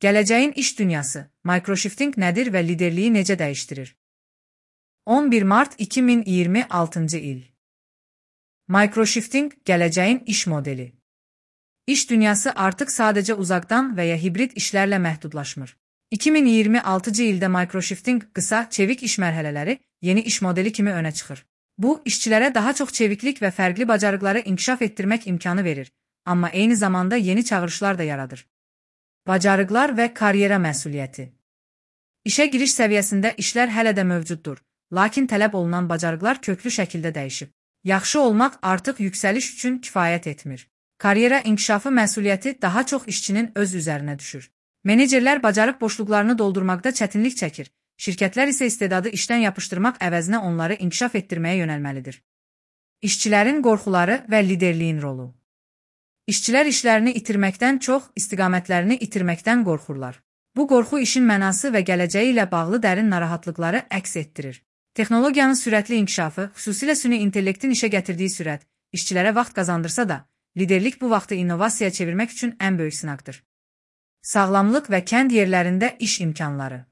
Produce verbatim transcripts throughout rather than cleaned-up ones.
Gələcəyin iş dünyası, microshifting nədir və liderliyi necə dəyişdirir? on bir mart iki min iyirmi altıncı il. Microshifting gələcəyin iş modeli. İş dünyası artıq sadəcə uzaqdan və ya hibrid işlərlə məhdudlaşmır. iki min iyirmi altıncı ildə microshifting qısa, çevik iş mərhələləri yeni iş modeli kimi önə çıxır. Bu, işçilərə daha çox çeviklik və fərqli bacarıqları inkişaf etdirmək imkanı verir, amma eyni zamanda yeni çağırışlar da yaradır. Bacarıqlar və karyera məsuliyyəti. İşə giriş səviyyəsində işlər hələ də mövcuddur, lakin tələb olunan bacarıqlar köklü şəkildə dəyişib. Yaxşı olmaq artıq yüksəliş üçün kifayət etmir. Karyera inkişafı məsuliyyəti daha çox işçinin öz üzərinə düşür. Menecerlər bacarıq boşluqlarını doldurmaqda çətinlik çəkir, şirkətlər isə istedadı işdən yapışdırmaq əvəzinə onları inkişaf etdirməyə yönəlməlidir. İşçilərin qorxuları və liderliyin rolu. İşçilər işlərini itirməkdən çox, istiqamətlərini itirməkdən qorxurlar. Bu qorxu işin mənası və gələcəyi ilə bağlı dərin narahatlıqları əks etdirir. Texnologiyanın sürətli inkişafı, xüsusilə süni intellektin işə gətirdiyi sürət, işçilərə vaxt qazandırsa da, liderlik bu vaxtı innovasiyaya çevirmək üçün ən böyük sınaqdır. Sağlamlıq və kənd yerlərində iş imkanları.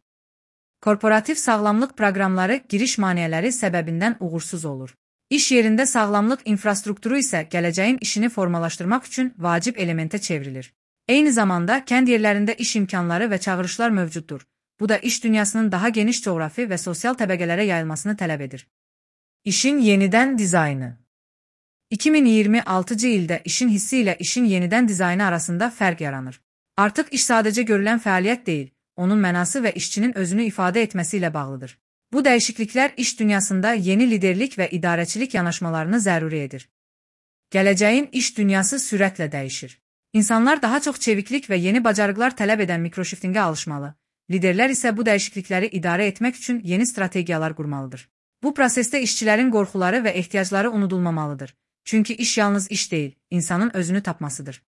Korporativ sağlamlıq proqramları giriş maneələri səbəbindən uğursuz olur. İş yerində sağlamlıq infrastrukturu isə gələcəyin işini formalaşdırmaq üçün vacib elementə çevrilir. Eyni zamanda kənd yerlərində iş imkanları və çağırışlar mövcuddur. Bu da iş dünyasının daha geniş coğrafi və sosial təbəqələrə yayılmasını tələb edir. İşin yenidən dizaynı. iki min iyirmi altıncı ildə işin hissi ilə işin yenidən dizaynı arasında fərq yaranır. Artıq iş sadəcə görülən fəaliyyət deyil, onun mənası və işçinin özünü ifadə etməsi ilə bağlıdır. Bu dəyişikliklər iş dünyasında yeni liderlik və idarəçilik yanaşmalarını zəruri edir. Gələcəyin iş dünyası sürətlə dəyişir. İnsanlar daha çox çeviklik və yeni bacarıqlar tələb edən microshiftingə alışmalı. Liderlər isə bu dəyişiklikləri idarə etmək üçün yeni strategiyalar qurmalıdır. Bu prosesdə işçilərin qorxuları və ehtiyacları unudulmamalıdır. Çünki iş yalnız iş deyil, insanın özünü tapmasıdır.